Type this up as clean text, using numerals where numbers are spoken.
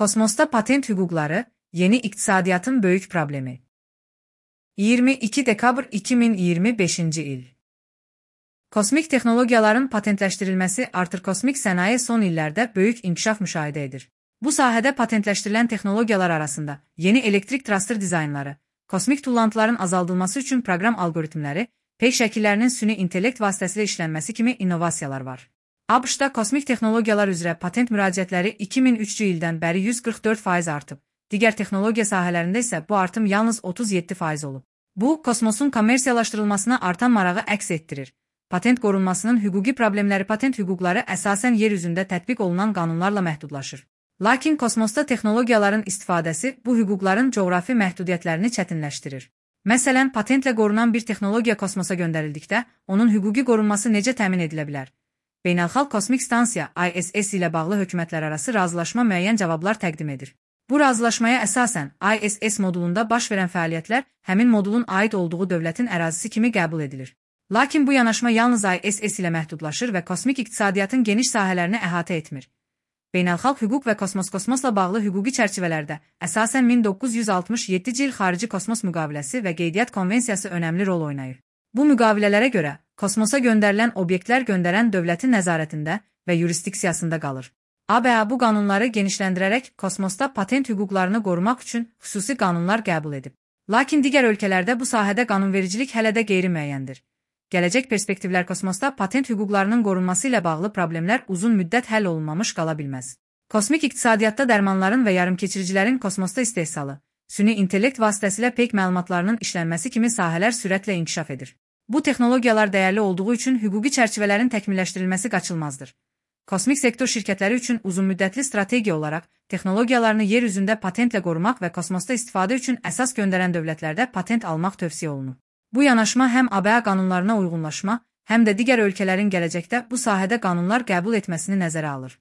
Kosmosda patent hüquqları, yeni iqtisadiyyatın böyük problemi. 22 dekabr 2025-ci il. Kosmik texnologiyaların patentləşdirilməsi artır kosmik sənaye son illərdə böyük inkişaf müşahidə edir. Bu sahədə patentləşdirilən texnologiyalar arasında yeni elektrik traster dizaynları, kosmik tullantıların azaldılması üçün proqram algoritmləri, peyk şəkillərinin süni intellekt vasitəsilə işlənməsi kimi innovasiyalar var. ABŞ-da kosmik texnologiyalar üzrə patent müraciətləri 2003-cü ildən bəri 144% artıb. Digər texnologiya sahələrində isə bu artım yalnız 37% olub. Bu, kosmosun kommersiyalaşdırılmasına artan marağı əks etdirir. Patent qorunmasının hüquqi problemləri patent hüquqları əsasən yer üzündə tətbiq olunan qanunlarla məhdudlaşır. Lakin kosmosda texnologiyaların istifadəsi bu hüquqların coğrafi məhdudiyyətlərini çətinləşdirir. Məsələn, patentlə qorunan bir texnologiya kosmosa göndərildikdə, onun hüquqi qorunması necə təmin edilə bilər? Beynəlxalq Kosmik Stansiya (ISS) ilə bağlı hökumətlərarası razılaşma müəyyən cavablar təqdim edir. Bu razılaşmaya əsasən, ISS modulunda baş verən fəaliyyətlər həmin modulun aid olduğu dövlətin ərazisi kimi qəbul edilir. Lakin bu yanaşma yalnız ISS ilə məhdudlaşır və kosmik iqtisadiyyatın geniş sahələrini əhatə etmir. Beynəlxalq hüquq və kosmosla bağlı hüquqi çərçivələrdə əsasən 1967-ci il Xarici Kosmos Müqaviləsi və Qeydiyyat Konvensiyası önəmli rol oynayır. Bu müqavilələrə görə, kosmosa göndərilən obyektlər göndərən dövlətin nəzarətində və yurisdiksiyasında qalır. ABA bu qanunları genişləndirərək kosmosda patent hüquqlarını qorumaq üçün xüsusi qanunlar qəbul edib. Lakin digər ölkələrdə bu sahədə qanunvericilik hələ də qeyri-müəyyəndir. Gələcək perspektivlər kosmosda patent hüquqlarının qorunması ilə bağlı problemlər uzun müddət həll olunmamış qala bilməz. Kosmik iqtisadiyyatda dərmanların və yarımkeçiricilərin kosmosda istehsalı, süni intellekt vasitəsilə peyk məlumatlarının işlənməsi kimi sahələr sürətlə inkişaf edir. Bu texnologiyalar dəyərli olduğu üçün hüquqi çərçivələrin təkmilləşdirilməsi qaçılmazdır. Kosmik sektor şirkətləri üçün uzunmüddətli strategiya olaraq texnologiyalarını yer üzündə patentlə qorumaq və kosmosda istifadə üçün əsas göndərən dövlətlərdə patent almaq tövsiyə olunur. Bu yanaşma həm ABA qanunlarına uyğunlaşma, həm də digər ölkələrin gələcəkdə bu sahədə qanunlar qəbul etməsini nəzərə alır.